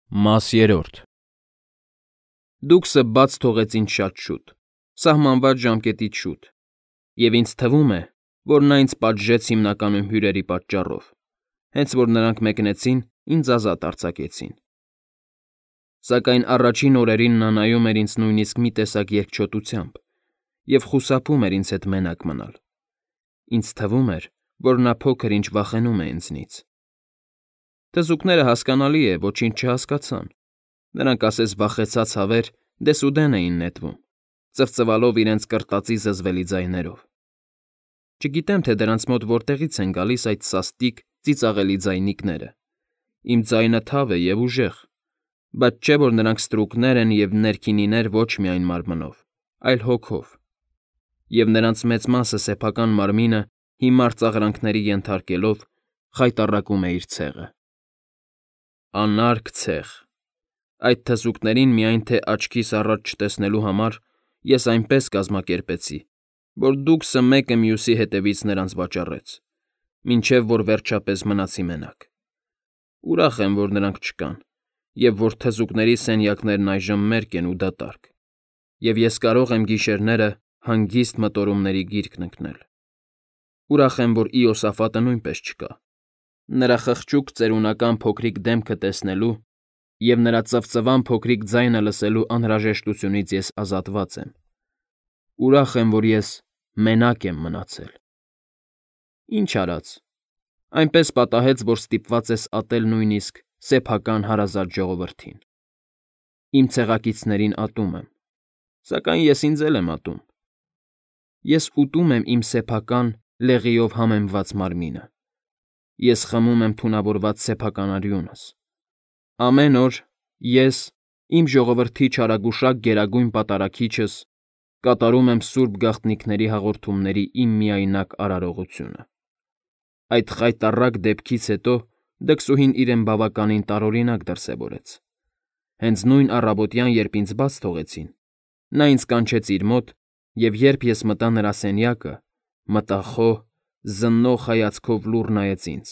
Մաս երրորդ Դուքսը բաց թողեց ինձ շատ շուտ, սահմանված ժամկետից շուտ, և ինձ թվում է, որ նա ինձ պատժեց հիմնականում հյուրերի պատճառով, հենց որ նրանք մեկնեցին, ինձ ազատ արձակեցին։ Սակայն առաջին օրերին նա նայում էր ինձ նույնիսկ մի տեսակ երկչոտությամբ և խուսափում էր ինձ հետ մենակ մնալ։ Ինձ թվում էր, որ նա փոքր-ինչ վախենում է ինձնից։ Թզուկները, հասկանալի է, ոչինչ չհասկացան. նրանք ասես վախեցած հավեր դեսուդեն էին նետվում, ծվծվալով իրենց կրտածի զզվելի ձայներով։ Չգիտեմ, թե դրանց մոտ որտեղից են գալիս այդ սաստիկ, ծիծաղելի ձայնիկները։ Իմ ձայնը թավ է և ուժեղ, բայց չէ՞ որ նրանք ստրուկներ են և ներքինիներ ոչ միայն մարմնով, այլ հոգով, և նրանց մեծ մասը սեփական մարմինը հիմար ծաղրանքների ենթարկելով խայտառակում է իր ցեղը։ Անարգ ցեղ։ Այդ թզուկներին միայն թե աչքիս առաջ չտեսնելու համար ես այնպես կազմակերպեցի, որ Դուքսը մեկը մյուսի հետևից նրանց վաճառեց, մինչև որ վերջապես մնացի մենակ։ Ուրախ եմ, որ նրանք չկան, և որ թզուկների սենյակներն այժմ մերկ են ու դատարկ, և ես կարող եմ գիշերները հանգիստ մտորումների գիրկն ընկնել։ Ուրախ եմ, որ Իոսաֆատը նույնպես չկա։ Նրա խղճուկ ծերունական փոքրիկ դեմքը տեսնելու և նրա ծվծվան փոքրիկ ձայնը լսելու անհրաժեշտությունից ես ազատված եմ։ Ուրախ եմ, որ ես մենակ եմ մնացել։ Ինչ արած, այնպես պատահեց, որ ստիպված ես ատել նույնիսկ սեփական հարազատ ժողովրդին։ Իմ ցեղակիցներին ատում եմ, սակայն ես ինձ էլ եմ ատում։ Ես ուտում եմ իմ սեփական, լեղիով համեմված մարմինը։ Ես խմում եմ թունավորված սեփական արյունս։ Ամեն օր ես, իմ ժողովրդի չարագուշակ գերագույն պատարագիչս, կատարում եմ սուրբ գաղտնիքների հաղորդումների իմ միայնակ արարողությունը։ Այդ խայտառակ դեպքից հետո դքսուհին իրեն բավականին տարօրինակ դրսևորեց։ Հենց նույն առավոտյան, երբ ինձ բաց թողեցին, նա ինձ կանչեց իր մոտ, և երբ ես մտա նրա սենյակը, մտախոհ, զննող հայացքով լուռ նայեց ինձ։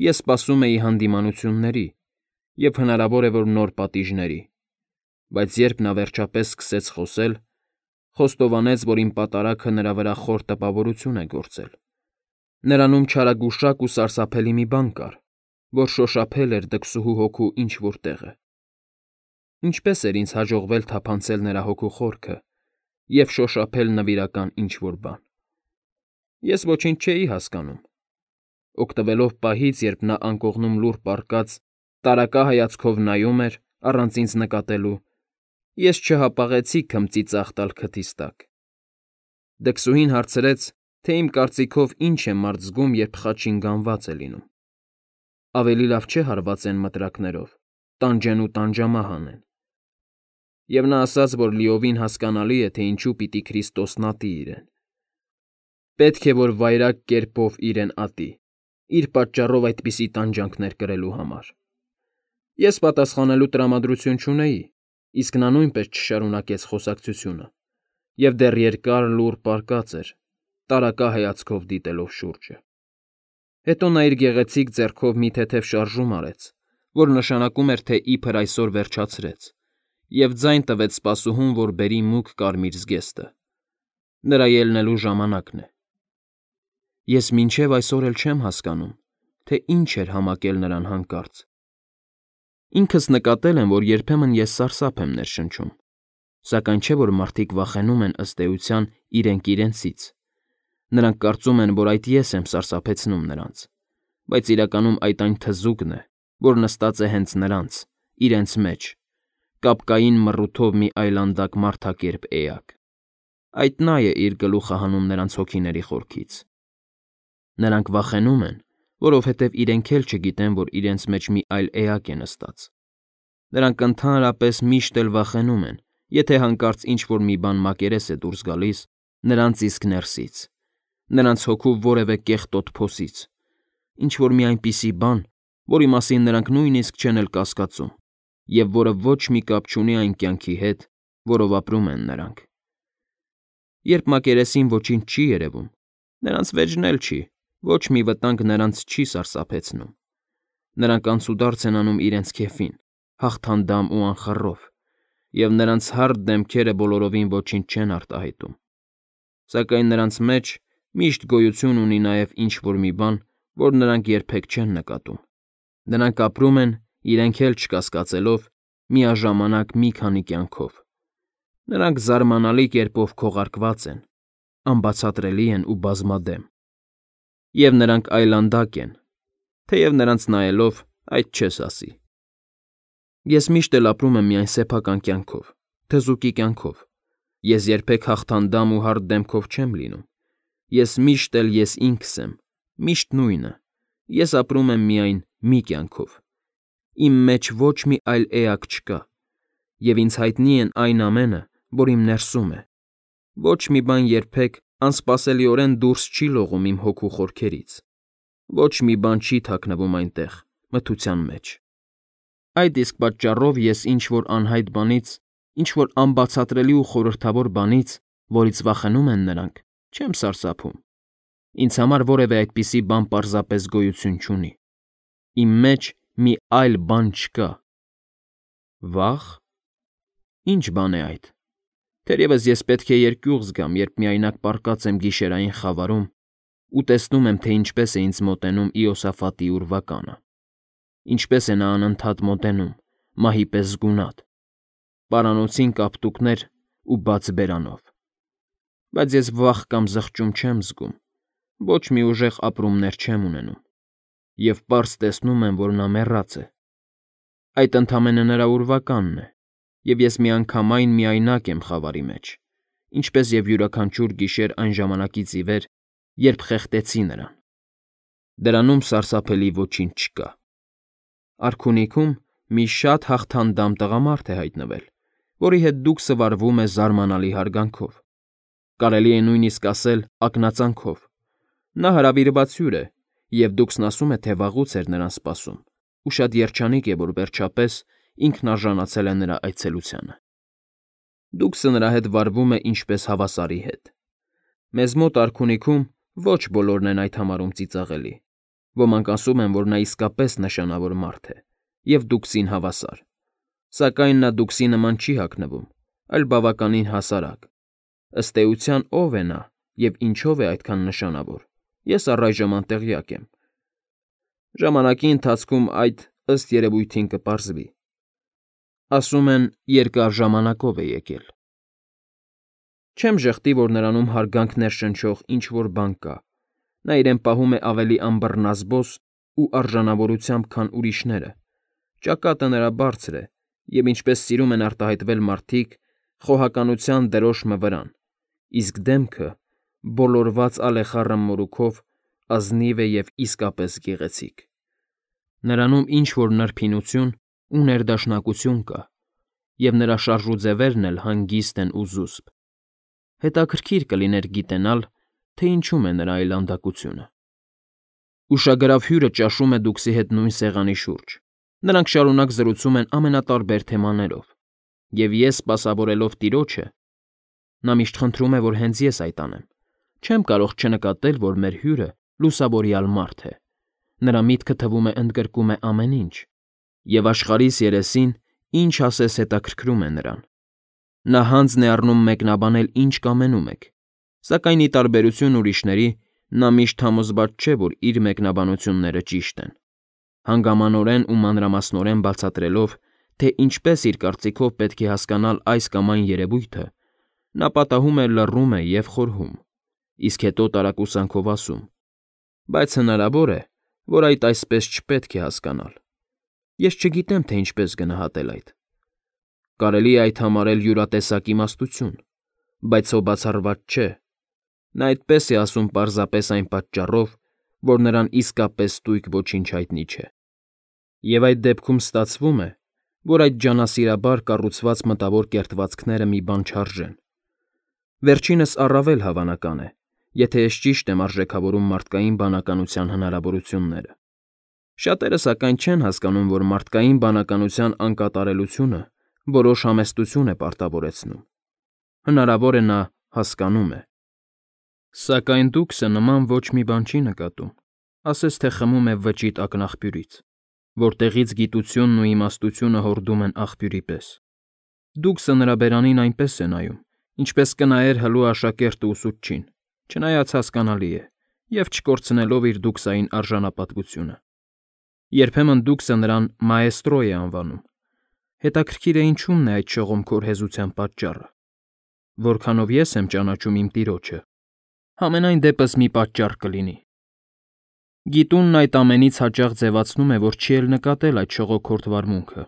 Ես սպասում էի հանդիմանությունների և հնարավոր է, որ նոր պատիժների, բայց երբ նա վերջապես սկսեց խոսել, խոստովանեց, որ իմ պատարագը նրա վրա խոր տպավորություն է գործել։ Նրանում չարագուշակ ու սարսափելի մի բան կար, որ շոշափել էր դքսուհու հոգու ինչ֊որ տեղը։ Ինչպե՞ս էր ինձ հաջողվել թափանցել նրա հոգու խորքը և շոշափել նվիրական ինչ֊որ բան։ Ես ոչինչ չէի հասկանում։ Օգտվելով պահից, երբ նա անկողնում լուռ պառկած, տարակա հայացքով նայում էր, առանց ինձ նկատելու, ես չհապաղեցի քմծի ծախ տալ քթիս տակ։ Դքսուհին հարցրեց, թե իմ կարծիքով ինչ է մարդ զգում, երբ խաչին գանված է լինում։ Ավելի լավ չէ հարվածեն մտրակներով, տանջեն ու տանջամահ անեն։ Եվ նա ասաց, որ լիովին հասկանալի է, թե ինչու պիտի Քրիստոսն ատի իրեն։ Պետք է, որ վայրագ կերպով իրեն ատի, իր պատճառով այդպիսի տանջանքներ կրելու համար։ Ես պատասխանելու տրամադրություն չունեի, իսկ նա նույնպես չշարունակեց խոսակցությունը, և դեռ երկար լուռ պառկած էր, տարակա հայացքով դիտելով շուրջը։ Հետո նա իր գեղեցիկ ձեռքով մի թեթև շարժում արեց, որ նշանակում էր, թե իբր այսօր վերջացրեց, և ձայն տվեց սպասուհուն, որ բերի մուգ կարմիր զգեստը։ Նրա ելնելու ժամանակն է։ Ես մինչև այսօր էլ չեմ հասկանում, թե ինչ էր համակել նրան հանկարծ։ Ինքս նկատել եմ, որ երբեմն ես սարսափ եմ ներշնչում, սակայն չէ որ մարդիկ վախենում են ըստ էության իրենք իրենցից։ Նրանք կարծում են, որ այդ ես եմ սարսափեցնում նրանց, բայց իրականում այդ այն թզուկն է, որ նստած է հենց նրանց, իրենց մեջ, կապկային մռութով մի այլանդակ մարդակերպ էակ։ Այդ նա է իր գլուխը հանում նրանց հոգիների խորքից։ Նրանք վախենում են, որովհետև իրենք էլ չգիտեն, որ իրենց մեջ մի այլ էակ է նստած։ Նրանք ընդհանրապես միշտ էլ վախենում են, եթե հանկարծ ինչ֊որ մի բան մակերես է դուրս գալիս նրանց իսկ ներսից, նրանց հոգու որևէ կեղտոտ փոսից, ինչ֊որ մի այնպիսի բան, որի մասին նրանք նույնիսկ չեն էլ կասկածում, և որը ոչ մի կապ չունի այն կյանքի հետ, որով ապրում են նրանք։ Երբ մակերեսին ոչինչ չի երևում, նրանց վեճն էլ չի, ոչ մի վտանգ նրանց չի սարսափեցնում։ Նրանք անցուդարձ են անում իրենց քեֆին, հաղթանդամ ու անխռով, և նրանց հարթ դեմքերը բոլորովին ոչինչ չեն արտահայտում։ Սակայն նրանց մեջ միշտ գոյություն ունի նաև ինչ-որ մի բան, որ նրանք երբեք չեն նկատում։ Նրանք ապրում են, իրենք էլ չկասկածելով, միաժամանակ մի քանի կյանքով։ Նրանք զարմանալի կերպով քողարկված են, անբացատրելի են ու բազմադեմ։ Եվ նրանք այլանդակ են, թեև նրանց նայելով այդ չես ասի։ Ես միշտ էլ ապրում եմ միայն սեփական կյանքով, թզուկի կյանքով։ Ես երբեք հաղթանդամ ու հարթ դեմքով չեմ լինում։ Ես միշտ էլ ես ինքս եմ, միշտ նույնը։ Ես ապրում եմ միայն մի կյանքով։ Իմ մեջ ոչ մի այլ էակ չկա, և ինձ հայտնի են այն ամենը, որ իմ ներսում է։ Ոչ մի բան երբեք անսպասելիորեն դուրս չի լողում իմ հոգու խորքերից։ Ոչ մի բան չի թաքնվում այնտեղ, մթության մեջ։ Այդ իսկ պատճառով ես ինչ-որ անհայտ բանից, ինչ-որ անբացատրելի ու խորհրդավոր բանից, որից վախենում են նրանք, չեմ սարսափում։ Ինձ համար որևէ այդպիսի բան պարզապես գոյություն չունի։ Իմ մեջ մի այլ բան չկա։ Վա՞խ։ Ինչ բան է այդ։ Թերևս ես պետք է երկյուղ զգամ, երբ միայնակ պառկած եմ գիշերային խավարում ու տեսնում եմ, թե ինչպես է ինձ մոտենում Իոսաֆատի ուրվականը։ Ինչպես է նա անընդհատ մոտենում, մահի պես զգունատ, պարանոցին կապտուկներ ու բաց բերանով։ Բայց ես վախ կամ զղջում չեմ զգում, ոչ մի ուժեղ ապրումներ չեմ ունենում, և պարզ տեսնում եմ, որ նա մեռած է։ Այդ ընդամենը նրա ուրվականն է, և ես միանգամայն միայնակ եմ խավարի մեջ, ինչպես և յուրաքանչյուր գիշեր այն ժամանակից ի վեր, երբ խեղդեցի նրան։ Դրանում սարսափելի ոչինչ չկա։ Արքունիքում մի շատ հաղթանդամ տղամարդ է հայտնվել, որի հետ դուքսը վարվում է զարմանալի հարգանքով, կարելի է նույնիսկ ասել ակնածանքով։ Նա հրավիրված հյուր է, և դուքսն ասում է, թե վաղուց էր նրան սպասում, ու շատ երջանիկ է, որ վերջապես ինքն արժանացել է նրա այցելությանը։ Դուքսը նրա հետ վարվում է ինչպես հավասարի հետ։ Մեզ մոտ արքունիքում ոչ բոլորն են այդ համարում ծիծաղելի։ Ոմանք ասում են, որ նա իսկապես նշանավոր մարդ է և դուքսին հավասար։ Սակայն նա դուքսի նման չի հագնվում, այլ բավականին հասարակ։ Ըստ էության ով է նա և ինչով է այդքան նշանավոր, ես առայժմ անտեղյակ եմ։ Ժամանակի ընթացքում այդ, ըստ երևույթին, կպարզվի։ Ասում են, երկար ժամանակով է եկել։ Չեմ ժխտի, որ նրանում հարգանք ներշնչող ինչ֊որ բան կա։ Նա իրեն պահում է ավելի անբռնազբոս ու արժանավորությամբ, քան ուրիշները։ Ճակատը նրա բարձր է, և ինչպես սիրում են արտահայտվել մարդիկ, խոհականության դրոշմը վրան, իսկ դեմքը, բոլորված ալեխառը մորուքով, ազնիվ է և իսկապես գեղեցիկ։ Նրանում ինչ֊որ նրբինություն ու ներդաշնակություն կա, և նրա շարժուձևերն էլ հանգիստ են ու զուսպ։ Հետաքրքիր կլիներ գիտենալ, թե ինչում է նրա այլանդակությունը։ Ուշագրավ հյուրը ճաշում է դուքսի հետ նույն սեղանի շուրջ։ Նրանք շարունակ զրուցում են ամենատարբեր թեմաներով, և ես, սպասավորելով տիրոջը, նա միշտ խնդրում է, որ հենց ես այդ անեմ, չեմ կարող չնկատել, որ մեր հյուրը լուսավորյալ մարդ է։ Նրա միտքը թվում է ընդգրկում է ամեն ինչ, և աշխարհիս երեսին, ինչ ասես հետաքրքրում է նրան։ Նա հանձն է առնում մեկնաբանել, ինչ կամենում եք, սակայն ի տարբերություն ուրիշների, նա միշտ համոզված չէ, որ իր մեկնաբանությունները ճիշտ են։ Հանգամանորեն ու մանրամասնորեն բացատրելով, թե ինչպես իր կարծիքով պետք է հասկանալ այս կամ այն երևույթը, նա պատահում է լռում է և խորհում, իսկ հետո տարակուսանքով ասում. բայց հնարավոր է, որ այդ այսպես չպետք է հասկանալ։ Ես չգիտեմ, թե ինչպես գնահատել այդ։ Կարելի է այդ համարել յուրատեսակ իմաստություն, բայց սո բացառված չէ։ Նա այդպես է ասում պարզապես այն պատճառով, որ նրան իսկապես ստույգ ոչինչ հայտնի չէ։ Եվ այդ դեպքում ստացվում է, որ այդ ջանասիրաբար կառուցված մտավոր կերտվածքները մի բան չարժեն։ Վերջինս առավել հավանական է, եթե ես ճիշտ եմ արժեքավորում մարդկային բանականության հնարավորությունները։ Շատերը սակայն չեն հասկանում, որ մարդկային բանականության անկատարելությունը որոշ համեստություն է պարտավորեցնում։ Հնարավոր է նա հասկանում է։ Սակայն դուքսը նման ոչ մի բան չի նկատում, ասես թե խմում է վճիտ ակնաղբյուրից, որտեղից գիտությունն ու իմաստությունը հորդում են աղբյուրի պես։ Դուքսը նրա բերանին այնպես է նայում, ինչպես կնայեր հլու աշակերտը ուսուցչին, չնայած հասկանալի է, և չկորցնելով իր դուքսային արժանապատվությունը։ Երբեմն դուքսը նրան մաեստրո է անվանում։ Հետաքրքիր է ինչումն է այդ շողոմքոր հեզության պատճառը։ Որքանով ես եմ ճանաչում իմ տիրոջը, համենայն դեպս մի պատճառ կլինի։ Գիտունն այդ ամենից հաճախ ձևացնում է, որ չի էլ նկատել այդ շողոքորթ վարմունքը։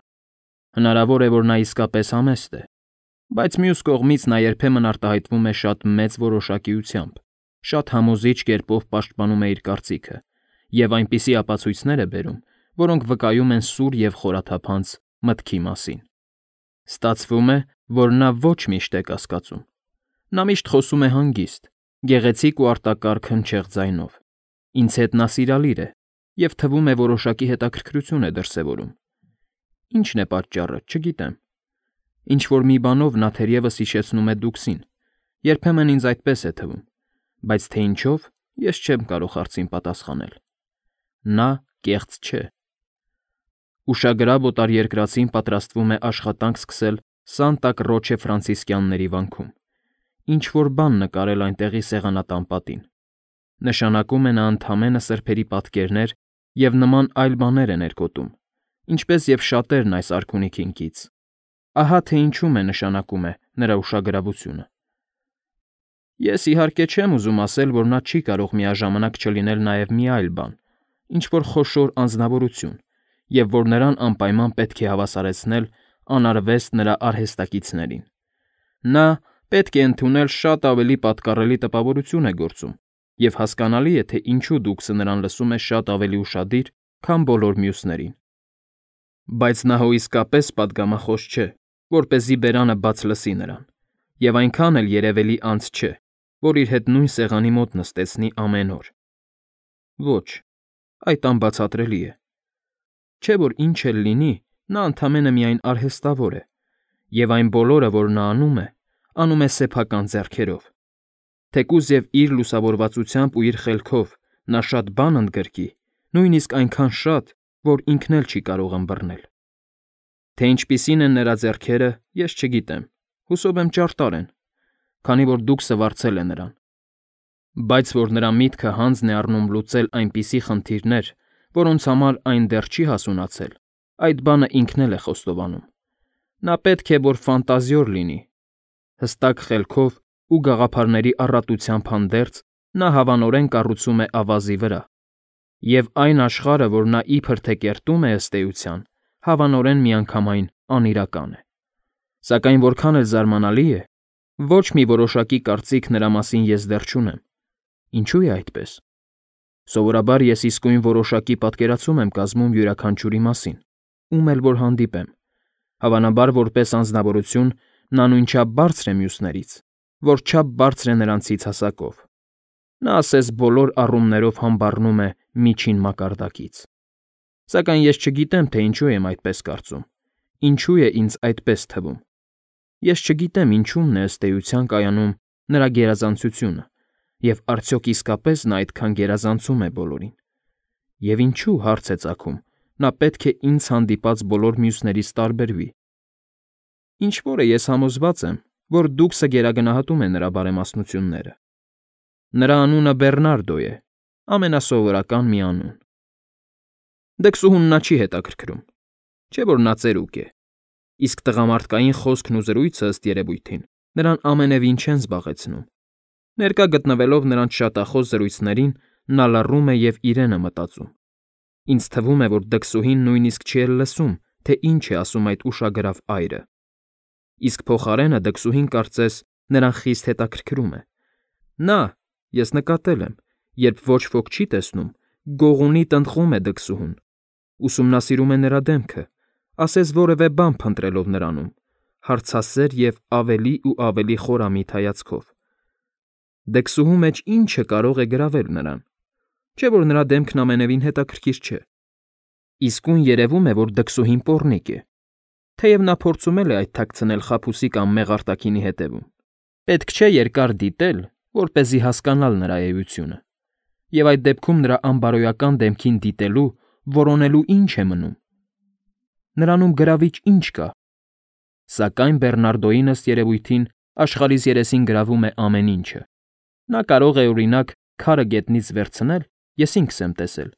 Հնարավոր է, որ նա իսկապես համեստ է, բայց մյուս կողմից նա երբեմն արտահայտվում է շատ մեծ որոշակիությամբ, շատ համոզիչ կերպով պաշտպանում է իր կարծիքը և այնպիսի ապացույցներ է բերում, որոնք վկայում են սուր և խորաթափանց մտքի մասին։ Ստացվում է, որ նա ոչ միշտ է կասկածում։ Նա միշտ խոսում է հանգիստ, գեղեցիկ ու արտակարգ հնչեղ ձայնով։ Ինձ հետ նա սիրալիր է և թվում է որոշակի հետաքրքրություն է դրսևորում։ Ինչն է պատճառը, չգիտեմ։ Ինչ-որ մի բանով նա թերևս հիշեցնում է դուքսին, երբեմն ինձ այդպես է թվում, բայց թե ինչով, ես չեմ կարող հարցին պատասխանել։ Նա կեղծ չէ։ Ուշագրավ օտարերկրացին պատրաստվում է աշխատանք սկսել Սանտա Կրոչե ֆրանցիսկանների վանքում, ինչ-որ բան նկարել այնտեղի սեղանատան պատին։ Նշանակում է նա ընդամենը սրբերի պատկերներ և նման այլ բաներ է ներկոտում, ինչպես և շատերն այս արքունիքին կից։ Ահա թե ինչում է նշանակում է նրա ուշագրավությունը։ Ես իհարկե չեմ ուզում ասել, որ նա չի կարող միաժամանակ չլինել նաև մի այլ բան, ինչ-որ խոշոր անձնավորություն, և որ նրան անպայման պետք է հավասարեցնել անարվեստ նրա արհեստակիցներին։ Նա պետք է ընդունել շատ ավելի պատկառելի տպավորություն է գործում, և հասկանալի է, թե ինչու դուքսը նրան լսում է շատ ավելի ուշադիր, քան բոլոր մյուսներին։ Բայց նա հո իսկապես պատգամախոս չէ, որպեսզի բերանը բաց լսի նրան, և այնքան էլ երևելի անձ չէ, որ իր հետ նույն սեղանի մոտ նստեցնի ամեն օր։ Ոչ, այդ անբացատրելի է։ Չէ՞ որ ինչ էլ լինի, նա ընդամենը միայն արհեստավոր է, և այն բոլորը, որ նա անում է սեփական ձեռքերով։ Թեկուզ և իր լուսավորվածությամբ ու իր խելքով նա շատ բան ընդգրկի, նույնիսկ այնքան շատ, որ ինքն էլ չի կարող ըմբռնել։ Թե ինչպիսին են նրա ձեռքերը, ես չգիտեմ, հուսով եմ ճարտար են, քանի որ դուքսը վարձել է նրան։ Բայց որ նրա միտքը հանձն է առնում լուծել այնպիսի խնդիրներ, որոնց համար այն դեռ չի հասունացել, այդ բանը ինքն էլ է խոստովանում։ Նա պետք է որ ֆանտազիոր լինի։ Հստակ խելքով ու գաղափարների առատությամբ հանդերձ նա հավանորեն կառուցում է ավազի վրա, և այն աշխարհը, որ նա իբր թե կերտում է ըստ էության, հավանորեն միանգամայն անիրական է։ Սակայն որքան էլ զարմանալի է, ոչ մի որոշակի կարծիք նրա մասին ես դեռ չունեմ։ Ինչու է այդպես։ Սովորաբար ես իսկույն որոշակի պատկերացում եմ կազմում յուրաքանչյուրի մասին, ում էլ որ հանդիպեմ։ Հավանաբար որպես անձնավորություն նա նույնչափ բարձր է մյուսներից, որչափ բարձր է նրանցից հասակով։ Նա ասես բոլոր առումներով համբառնում է միջին մակարդակից։ Սակայն ես չգիտեմ, թե ինչու եմ այդպես կարծում, ինչու է ինձ այդպես թվում։ Ես չգիտեմ ինչումն է ըստ էության կայանում նրա գերազանցությունը, և արդյոք իսկապես նա այդքան գերազանցում է բոլորին։ Եվ ինչու, հարց է ծագում, նա պետք է ինձ հանդիպած բոլոր մյուսներից տարբերվի։ Ինչ որ է, ես համոզված եմ, որ դուքսը գերագնահատում է նրա բարեմաստնությունները։ Նրա անունը Բեռնարդո է, ամենասովորական մի անուն։ Դքսուհուն նա չի հետաքրքրում, չէ՞ որ նա ծերուկ է, իսկ տղամարդկային խոսքն ու զրույցը ըստ երևույթին նրան ամենևին չեն զբաղեցնում։ Ներկա գտնվելով նրանց շատախոս զրույցներին, նա լռում է և իրեն է մտածում։ Ինձ թվում է, որ դքսուհին նույնիսկ չի էլ լսում, թե ինչ է ասում այդ ուշագրավ այրը։ Իսկ փոխարենը դքսուհին կարծես նրան խիստ հետաքրքրում է։ Նա, ես նկատել եմ, երբ ոչ ոք չի տեսնում, գողունի տնտղում է դքսուհուն, ուսումնասիրում է նրա դեմքը, ասես որևէ բան փնտրելով նրանում, հարցասեր և ավելի ու ավելի խորամիտ հայացքով։ Դքսուհու մեջ ի՞նչը կարող է գրավել նրան։ Չէ՞ որ նրա դեմքն ամենևին հետաքրքիր չէ։ Իսկույն երևում է, որ դքսուհին պոռնիկ է, թեև նա փորձում է այդ թաքցնել խաբուսի կամ մեղարտակինի հետևում։ Պետք չէ երկար դիտել, որպեսզի հասկանալ նրա էությունը, և այդ դեպքում նրա անբարոյական դեմքին դիտելու, որոնելու ինչ է մնում, Նրանում գրավիչ ինչ կա։ Սակայն Բեռնարդոին ըստ երևույթին աշխարհիս երեսին գրավում է ամեն ինչը։ Նա կարող է, օրինակ, քարը գետնից վերցնել, ես ինքս եմ տեսել,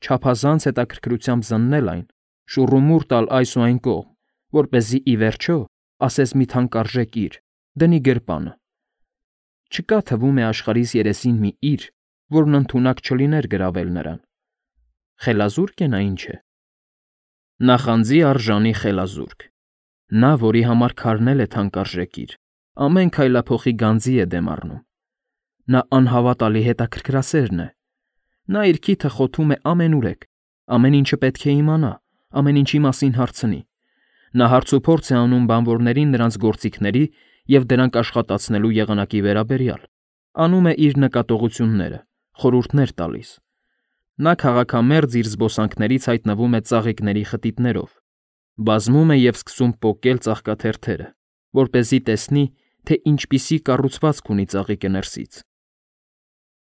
չափազանց հետաքրքրությամբ զննել այն, շուռումուռ տալ այս ու այն կողմ, որպեսզի ի վերջո ասես մի թանկարժեք իր, դնի գրպանը։ Չկա թվում է աշխարհիս երեսին մի իր, որն ընդունակ չլիներ գրավել նրան։ Խելազուրկ է նա ինչ է։ Նախանձի արժանի խելազուրկ։ Նա, որի համար քարն է թանկարժեք իր, ամեն քայլափոխի գանձի է դեմ առնում։ Նա անհավատալի հետաքրքրասերն է։ Նա իր քիթը խոթում է ամենուրեք, ամեն ինչը պետք է իմանա, ամեն ինչի մասին հարցնի։ Նա հարցուփորձ է անում բանվորներին նրանց գործիքների և դրանք աշխատացնելու եղանակի վերաբերյալ, անում է իր նկատողությունները, խորհուրդներ տալիս։ Նա քաղաքամերձ իր զբոսանքներից հայտնվում է ծաղիկների խտիտներով, բազմում է և սկսում պոկել ծաղկաթերթերը, որպեսզի տեսնի, թե ինչպիսի կառուցվածք ունի ծաղիկը ներսից։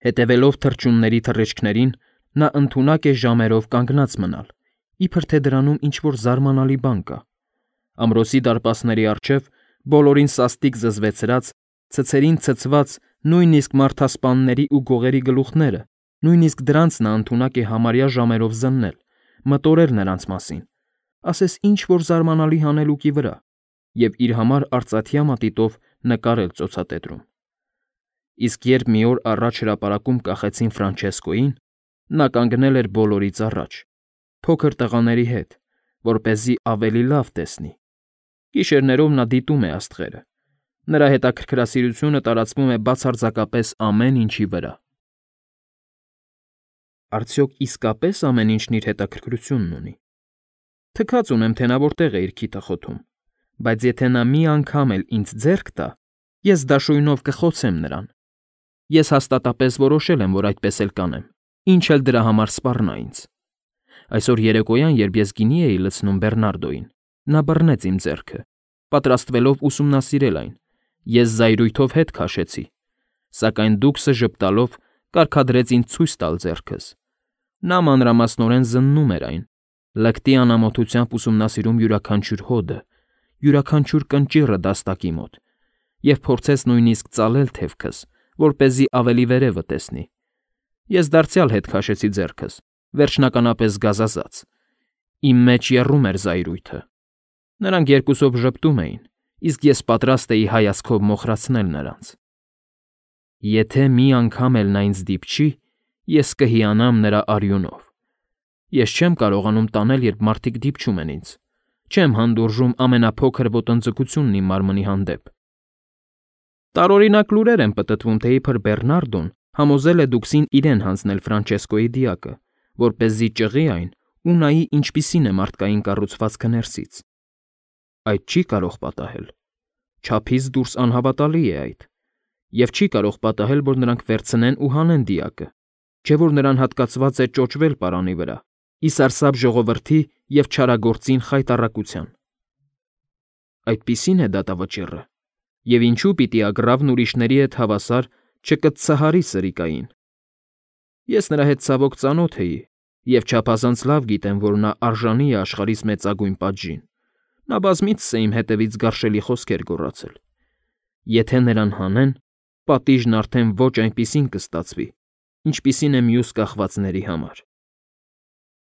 Հետևելով թռչունների թռիչքներին, նա ընդունակ է ժամերով կանգնած մնալ, իբր թե դրանում ինչ-որ զարմանալի բան կա։ Ամրոցի դարպասների առջև բոլորին սաստիկ զզվեցրած, ցցերին ցցված նույնիսկ մարդասպանների ու գողերի գլուխները, նույնիսկ դրանց նա ընդունակ է համարյա ժամերով զննել, մտորել նրանց մասին, ասես ինչ-որ զարմանալի հանելուկի վրա, և իր համար արծաթյա մատիտով նկարել ծոցատետրում։ Իսկ երբ մի օր առաջ հրապարակում կախեցին Ֆրանչեսկոյին, նա կանգնել էր բոլորից առաջ, փոքր տղաների հետ, որպեսզի ավելի լավ տեսնի։ Գիշերներով նա դիտում է աստղերը։ Նրա հետաքրքրասիրությունը տարածվում է բացարձակապես ամեն ինչի վրա։ Արդյոք իսկապես ամեն ինչն իր հետաքրքրությունն ունի։ Թքած ունեմ, թե նա որտեղ է իր քիթը խոթում, բայց եթե նա մի անգամ էլ ինձ ձեռք տա, ես դաշույնով կխոցեմ նրան։ Ես հաստատապես որոշել եմ, որ այդպես էլ կանեմ, ինչ էլ դրա համար սպառնա ինձ։ Այսօր երեկոյան, երբ ես գինի էի լցնում Բեռնարդոյին, նա բռնեց իմ ձեռքը, պատրաստվելով ուսումնասիրել այն։ Ես զայրույթով հետ քաշեցի, սակայն դուքսը ժպտալով կարգադրեց ինձ ցույց տալ ձեռքս։ Նա մանրամասնորեն զննում էր այն, լկտի անամոթությամբ ուսումնասիրում յուրաքանչյուր հոդը, յուրաքանչյուր կնճիռը դաստակի մոտ, և փորձեց նույնիսկ ծալել թևքս, որպեսզի ավելի վերևը տեսնի։ Ես դարձյալ հետ քաշեցի ձեռքս, վերջնականապես գազազած։ Իմ մեջ եռում էր զայրույթը։ Նրանք երկուսով ժպտում էին, իսկ ես պատրաստ էի հայացքով մոխրացնել նրանց։ Եթե մի անգամ էլ նա ինձ դիպչի, ես կհիանամ նրա արյունով։ Ես չեմ կարողանում տանել, երբ մարդիկ դիպչում են ինձ։ Չեմ հանդուրժում ամենափոքր ոտնձգությունն իմ մարմնի հանդեպ։ Տարօրինակ լուրեր են պտտվում, թե իբր Բեռնարդոն համոզել է դուքսին իրեն հանձնել Ֆրանչեսկոյի դիակը, որպեսզի ճղի այն ու նայի ինչպիսին է մարդկային կառուցվածքը ներսից։ Այդ չի կարող պատահել։ Չափից դուրս անհավատալի է այդ։ Եվ չի կարող պատահել, որ նրանք վերցնեն ու հանեն դիակը, չէ՞ որ նրան հատկացված է ճոճվել պարանի վրա, ի սարսափ ժողովրդի և չարագործին խայտառակության։ Այդպիսին է դատավճիռը, և ինչու պիտի ագռավն ուրիշների հետ հավասար չկծցահարի սրիկային։ Ես նրա հետ ցավոք ծանոթ էի և չափազանց լավ գիտեմ, որ նա արժանի է աշխարհիս մեծագույն պատժին։ Նա բազմիցս է իմ հետևից գարշելի խոսքեր գոռացել։ Եթե նրան հանեն, պատիժն արդեն ոչ այնպիսին կստացվի, ինչպիսին է մյուս կախվածների համար։